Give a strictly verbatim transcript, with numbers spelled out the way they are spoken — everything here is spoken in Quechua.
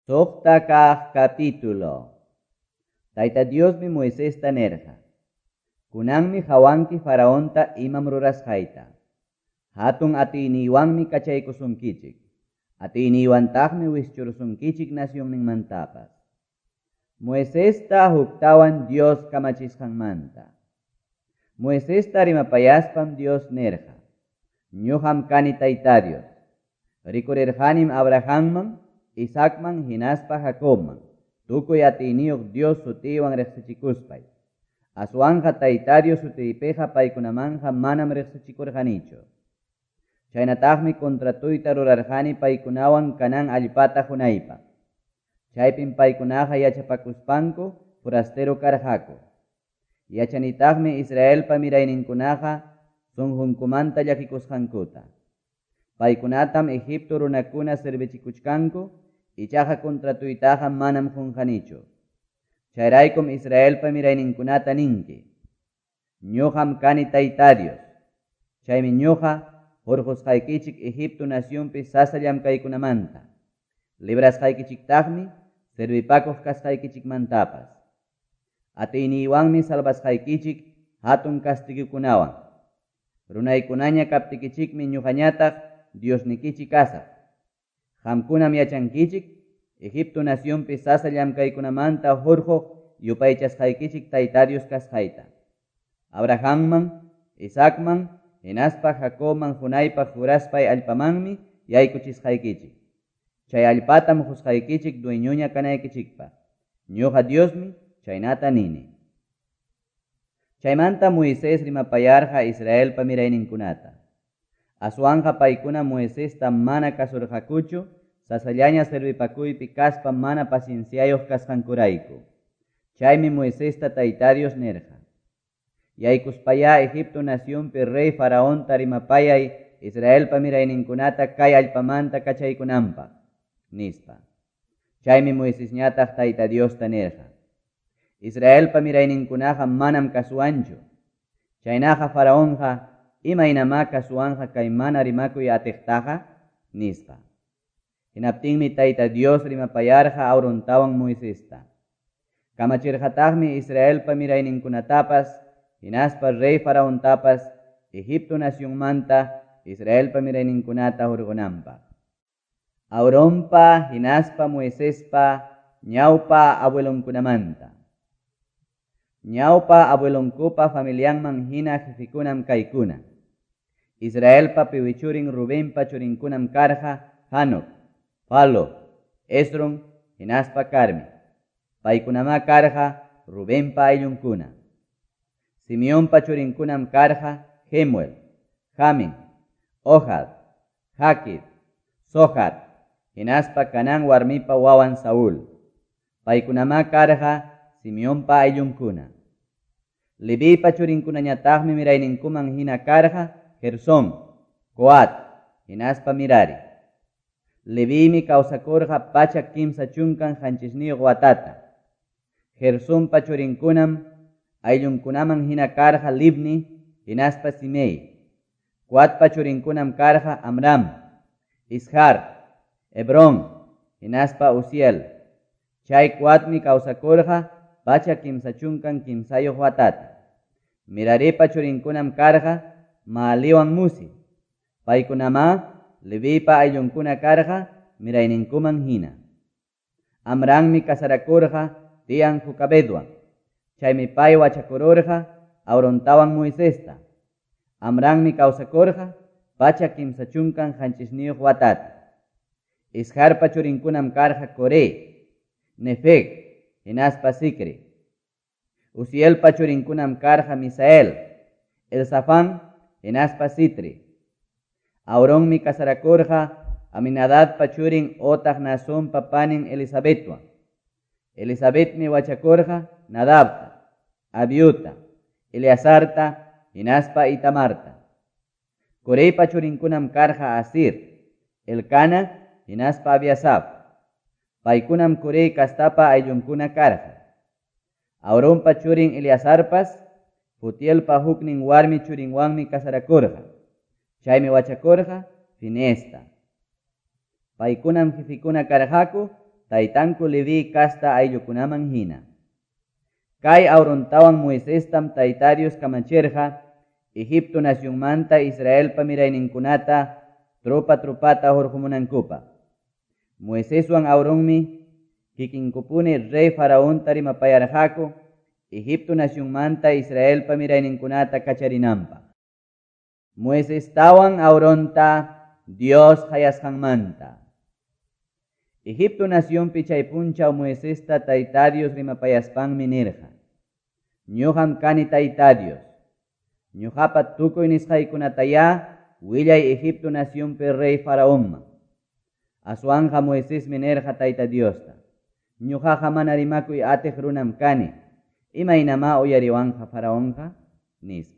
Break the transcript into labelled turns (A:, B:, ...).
A: Suqta kaq capítulo. Tayta Diosmi Moisesta nirqa: Kunanmi qawanki Faraonta imam rurasqayta. Hatun atiyniywanmi kachaykusunkichik. Atiyniywantakmi wischurusunkichik nacionninmantapas. Moisesta huktawan Dios kamachisqanmanta. Moisesta rimapayaspam Dios nirqa: Ñuqam kani Tayta Dios. Rikurirqanim Abrahamman, Isaacman hinaspa Jacobman, tukuy atiyniyuq Dios sutiywan riqsichikuspay. Aswanqa Tayta Dios sutiypiqa paykunamanqa manam riqsichikurqanichu. Chaynataqmi contratuyta rurarqani paykunawan Canaán allpata qunaypaq. Chaypim paykunaqa yachapakuspanku forastero karqaku. Yachanitaqmi Israelpa mirayninkunaqa sunqunkumanta llakikusqankuta. Paykunatam Egipto runakuna servichikuchkanku, ichaqa contratuytaqa manam qunqanichu. Chayraykum Israelpa mirayninkunata ninki: Ñuqam kani Tayta Dios. Chaymi ñuqa hurqusqaykichik Egipto nacionpi sasa llamkaykunamanta. Librasqaykichiktaqmi servipakuq kasqaykichikmantapas. Atiyniywanmi salvasqaykichik hatun kastigukunawan. Runaykunaña kaptikichikmi ñuqañataq Diosnikichik kasaq. Qamkunam yachankichik Egipto nacionpi sasa llamkaykunamanta hurquq yupaychasqaykichik Tayta Dios kasqayta. Abrahamman, Isaacman, hinaspa Jacobman qunaypaq juraspay allpamanmi yaykuchisqaykichik. Chay allpatam qusqaykichik dueñoña kanaykichikpaq. Ñuqa Diosmi chaynata nini. Chaymanta Moisés rimapayarqa Israelpa mirayninkunata. Aswanqa paykuna Moisesta mana kasurqakuchu, sasallaña servipakuypi kaspa mana pacienciayuq kasqankurayku. Chaymi Moisesta Tayta Dios nirqa: Yaykuspayá Egipto nacionpi rey Faraonta rimapayay Israelpa mirayninkunata kay allpamanta kachaykunanpaq, nispa. Chaymi Moisesñataq Tayta Diosta nirqa: Israelpa mirayninkunaqa manam kasuwanchu. Chaynaqa Faraonqa imaynamá kasuwanqa kay mana rimakuy atiqtaqa, nispa. Hinaptinmi Tayta Dios rimapayarqa Aarontawan Moisesta. Kamachirqataqmi Israelpa mirayninkunatapas, hinaspa rey Faraontapas, Egipto nacionmanta Israelpa mirayninkunata hurqunanpaq. Aaronpa hinaspa Moisespa ñawpa abuelonkunamanta. Ñawpa abuelonkupa familianman hina jefikunam kaykuna. Israelpa piwichurin Rubenpa churinkunam karqa Hanok, Falo, Esron, hinaspa Carmi. Paykunamá karqa Rubenpa ayllunkuna. Simeonpa churinkunam karqa Jemuel, Jamin, Ohad, Jaquid, Zohar, hinaspa Canaán warmipa wawan Saúl. Paykunamá karqa Simeonpa ayllunkuna. Levipa churinkunañataqmi mirayninkuman hina karqa Gersón, Coat, hinaspa Mirari. Levimi kawsakurqa pachak kimsa chunkan qanchisniyuq watata. Gersonpa churinkunam ayllunkunaman hina karqa Libni, hinaspa Simei. Coatpa churinkunam karqa Amram, Ishar, Hebrón, hinaspa Uziel. Chay Coatmi kawsakurqa pachak kimsa chunkan kimsayuq watata. Miraripa churinkunam karqa Maaliwan Musi. Paykunamá Levipa ayllunkuna karqa mirayninkuman hina. Amranmi kasarakurqa tiyan Jocabedwan. Chaymi pay wachakururqa Aarontawan Moisesta. Amranmi kawsakurqa pachak kimsa chunkan qanchisniyuq watata. Isharpa churinkunam karqa Coré, Nefeg, hinaspa Sicri. Uzielpa churinkunam karqa Misael, Elzafán, hinaspa Sitri. Aaronmi kasarakurqa Aminadabpa churin otaq Naasonpa panin Elisabetwan. Elisabetmi wachakurqa Nadabta, Abiuta, Eleazarta, hinaspa Itamarta. Coreypa churinkunam karqa Asir, Elcana, hinaspa Abiasaf. Paykunam Corey kastapa ayllunkuna karqa. Aaronpa churin Eleazarpas, Putielpa huknin warmi churinwanmi kasarakurqa. Chaymi wachakurqa Finesta. Paykunam jefikuna karqaku taytanku Leví casta ayllukunaman hina. Kay Aarontawan Moisestam Tayta Dios kamachirqa Egipto nacionmanta Israelpa mirayninkunata tropa tropata hurqumunankupaq. Moiseswan Aaronmi kikinkupuni rey Faraonta rimapayarqaku Egipto nacionmanta Israelpa mirayninkunata kacharinanpaq. Moisestawan Aaronta Dios qayasqanmanta. Egipto nacionpi chay punchaw Moisesta Tayta Dios rimapayaspanmi nirqa: Ñuqam kani Tayta Dios. Ñuqapa tukuy nisqaykunatayá willay Egipto nacionpi rey Faraonman. Aswanqa Moisesmi nirqa Tayta Diosta: Ñuqaqa mana rimakuy atiq runam kani. Imaynamá uyariwanqa Faraonqa? Nispa.